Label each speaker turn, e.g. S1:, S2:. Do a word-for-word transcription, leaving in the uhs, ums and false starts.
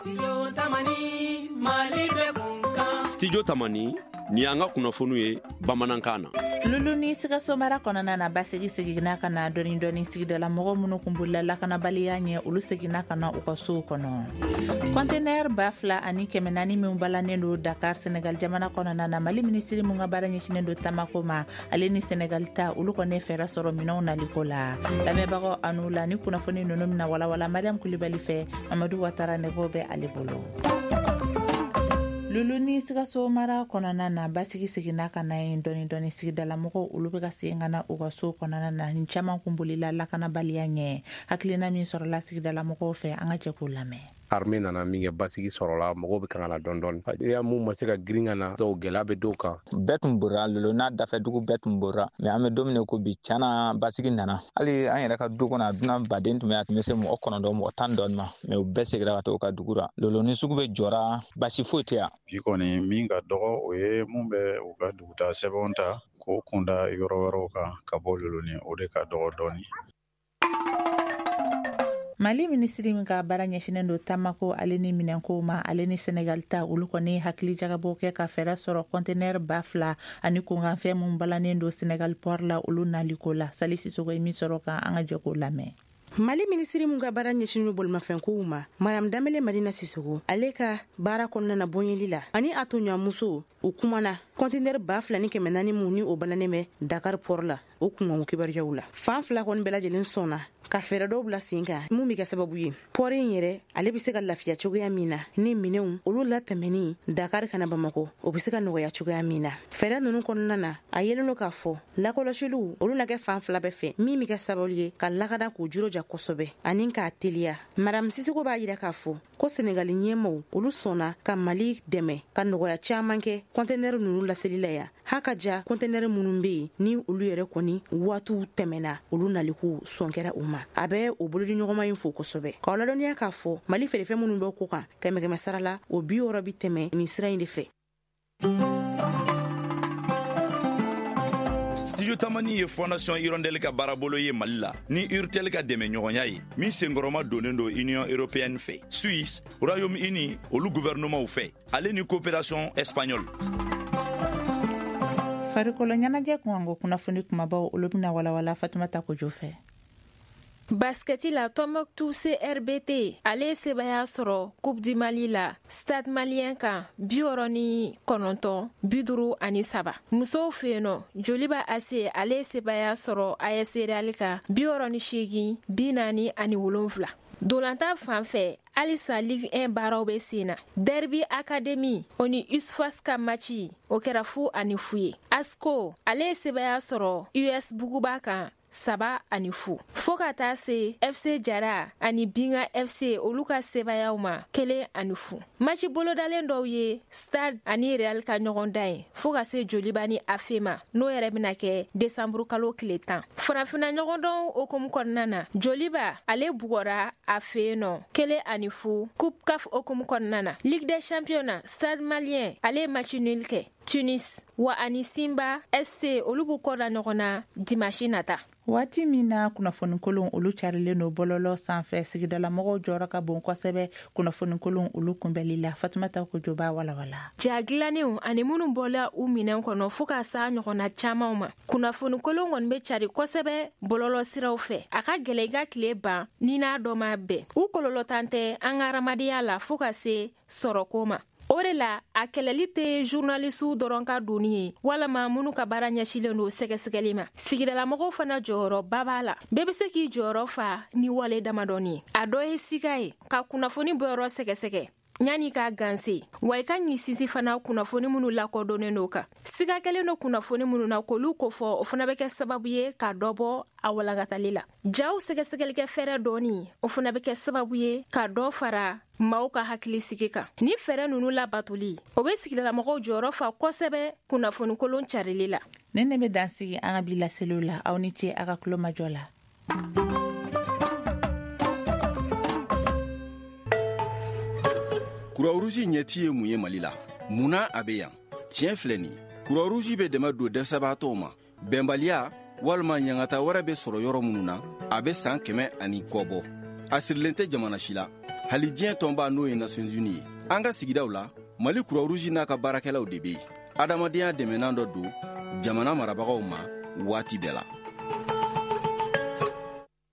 S1: Studio Tamani ni an ka kunnafoniw ye bamanankan na.
S2: Lulu ni Sikaso mara kɔnɔna na, basigi seginna ka na dɔɔni dɔɔni. Sigidala mɔgɔ minnu kun bolila lakanabaliya ɲɛ, olu seginna ka na u ka sow kɔnɔ. Kɔntenɛr ba fila ani kɛmɛ naani min balannen don Dakar, Senegal jamana kɔnɔna na, Mali minisiri mun ka baara ɲɛsinen don tamako ma, ale ni Senegal ta, olu kɔni fɛɛrɛ sɔrɔ minɛnw naliko la. Lamɛnbagaw, anu la ni kunnafoni ninnu bɛna walawala Mariam Kulibali fɛ. Mamadu Watara nɛgɛw bɛ ale bolo. Lulu ni Sikaso mara kɔnɔna na, basigi seginna ka na yen dɔɔni dɔɔni. Sigidalamɔgɔw, olu bɛ ka segin ka na u ka so kɔnɔna na, ni caman kun bolila lakanabaliya ɲɛ. Hakilina min sɔrɔla sigidalamɔgɔw fɛ, an ka jɛ k'o lamɛn.
S3: Armée nana min kɛ, basigi sɔrɔla, mɔgɔw bɛ kan ka na dɔɔni dɔɔni. Ya mun ma se ka girin ka na, dɔw gɛlɛya bɛ dɔw kan.
S4: Bɛɛ tun borira Lolo n'a dafɛ dugu bɛɛ tun borira, mais an bɛ don min ko bi, tiɲɛna, basigi nana. Hali an yɛrɛ ka du kɔnɔ, a dunan baden tun bɛ, a tun bɛ se mɔgɔ kɔnɔntɔn, mɔgɔ tan dɔɔni ma, mais u bɛɛ seginna ka taa u ka dugu la. Lolo ni sugu bɛ jɔra, basi foyi tɛ yan.
S5: Bi kɔni, min ka dɔgɔ, o ye mun bɛ u ka dugutaa sɛbɛnw ta k'o kunda yɔrɔ wɛrɛw kan ka bɔ Loloni, o de ka dɔgɔ dɔɔni.
S2: Mali minisiri min ka baara ɲɛsinen don tamako ale ni minɛnkow ma, ale ni Senegal ta, olu kɔni hakili jagabɔ kɛ ka fɛɛrɛ sɔrɔ kɔntenɛr ba fila ani kunkanfɛn mun balannen don Senegal port la, olu naliko la. Sali Sisogo ye min sɔrɔ kan, an ka jɛ k'o lamɛn.
S6: Mali minisiri mun ka baara ɲɛsinin bolimafɛnkow ma, Madame Danbele Madina Sisogo, ale ka baara kɔnɔna na bonyeli la ani a toɲɔgɔnmuso, u kumana kɔntinɛri ba fila ni kɛmɛ naani mun ni o balannen bɛ Dakar port la, o kunkanko kibaruyaw la. Fan fila kɔni bɛɛ lajɛlen sɔnna ka fɛɛrɛ dɔw bila sen kan mun bɛ kɛ sababu ye port in yɛrɛ, ale bɛ se ka lafiya cogoya min na, ni minɛnw olu latɛmɛni Dakar kana Bamakɔ, o bɛ se ka nɔgɔya cogoya min na. Fɛɛrɛ ninnu kɔnɔna na, a yelen don k'a fɔ lakɔlɔsiliw, olu na kɛ fan fila bɛɛ fɛ, min bɛ kɛ sababu ye ka lakana k'u jija kosɛbɛ ani k'a teliya. Madame Sisoko b'a yira k'a fɔ ko Senegali ɲɛmaw, olu sɔnna ka Mali dɛmɛ ka nɔgɔya caman kɛ kɔntenɛri ninnu laseli la yan. Ha ka ja kɔntenɛri minnu bɛ yen ni olu yɛrɛ kɔni waatiw tɛmɛna, olu naliko sɔn kɛra u ma. A bɛ o bolodi ɲɔgɔnma in fo kosɛbɛ, k'aw ladɔnniya k'a fɔ Mali feerefɛn minnu bɛ ko kan, kɛmɛ kɛmɛ sara la, o bi wɔɔrɔ bi tɛmɛ nin sira in de fɛ.
S7: Studio Tamani ye Fondation Hirondelle ka baarabolo ye Mali la ni Urtel ka dɛmɛ ɲɔgɔnya ye, min senkɔrɔma donnen don Union européenne fɛ, Suisse, Royaume-Uni olu gouvernement fɛ, ale ni coopération espagnole.
S2: Farikolo ɲɛnajɛ kunkanko kunnafoni kumabaw, olu bɛna walawala Fatumata Kojo fɛ.
S8: Basketi la, Tombouctou C R B T, ale ye sebaya sɔrɔ Coupe du Mali la Stade Malien kan, bi wɔɔrɔ ni kɔnɔntɔn bi duuru ani saba. Musow fɛ yen nɔ, Joliba A C, ale ye sebaya sɔrɔ A S Real kan, bi wɔɔrɔ ni seegin bi naani ani wolonfila. Dolantan fan fɛ, halisa Ligue un baaraw bɛ sen na. Derby Academy, o ni U S F A S ka match, o kɛra fu ani fu ye. ASCO, ale ye sebaya sɔrɔ U S Buguba kan, saba ani fu. Fɔɔ ka taa se F C Jara ani Binga F C, olu ka sebayaw ma, kelen ani fu. Match bolodalen dɔw ye Stade ani Real ka ɲɔgɔn dan ye, fɔɔ ka se Joliba ni A F E ma, n'o yɛrɛ bena kɛ desanburu kalo tile tan. Farafina ɲɔgɔndɔn hokumu kɔnɔna na, Joliba, ale bugɔra a fɛ yen nɔ, kelen ani fu, Coupe CAF hokumu kɔnɔna na. Ligue des Champions na, Stade Malien, ale ye match nul kɛ Tunis wa, ani Simba S C, olu b'u kɔ da ɲɔgɔn na dimanche nata.
S2: Waati min na kunnafonikolon olu carilen don bɔlɔlɔ sanfɛ, sigidalamɔgɔw jɔyɔrɔ ka bon kosɛbɛ kunnafonikolon olu kunbɛli la. Fatumata Kojo b'a walawala.
S8: Ja dilannenw ani minnu bɔla u minɛn kɔnɔ, fɔɔ ka s'a ɲɔgɔnna caamanw ma, kunnafonikolon kɔni be cari kosɛbɛ bɔlɔlɔ siraw fɛ. A ka gwɛlɛ i ka tile ban ni n'a dɔ ma bɛn. U kɔlɔlɔtan tɛ an ka hadamadenya la, fɔɔ ka se sɔrɔko ma. O de la, a kɛlɛli tɛ journalisiw dɔrɔn ka doni ye, walama minnu ka baara ɲɛsilen don sɛgɛsɛgɛli ma. Sigidalamɔgɔw fana jɔyɔrɔba b'a la. Bɛɛ be se k'i jɔyɔrɔ fa ni wale damadɔni ye. A dɔ ye sika ye ka kunnafoni bɔyɔrɔ sɛgɛsɛgɛ yanni k'a ganse, wa i ka ɲi sinsi fana kunnafoni minnu lakɔdɔnnen do kan. Siga kɛlen do kunnafoni minnu na, k'olu kofɔ, o fana bɛ kɛ sababu ye ka dɔ bɔ a walankatali la. Jaw sɛgɛsɛgɛlikɛ fɛɛrɛ dɔɔni, o fana bɛ kɛ sababu ye ka dɔ fara maaw ka hakili sigi kan. Ni fɛɛrɛ nunu labatoli, o be sigidalamɔgɔw jɔyɔrɔ fa kosɛbɛ kunnafonikolon carili la.
S2: Ne ne bɛ dan sigi an ka bi laseliw la. Aw ni ce a ka kulomajɔ la.
S9: Croix-Rouge ɲɛti ye mun ye Mali la? Mun na a bɛ yan? Tiɲɛ filɛ nin, Croix-Rouge bɛ dɛmɛ don dɛsɛbaatɔw ma, bɛnbaliya walima ɲangata wɛrɛ bɛ sɔrɔ yɔrɔ minnu na. A bɛ san kɛmɛ ani kɔ bɔ. A sirilen tɛ jamana si la. Hali diɲɛ tɔnba n'o ye Nations Unies ye. An ka sigidaw la, Mali Croix-Rouge n'a ka baarakɛlaw de bɛ yen. Adamadenya dɛmɛnan dɔ don jamana marabagaw ma waati bɛɛ la.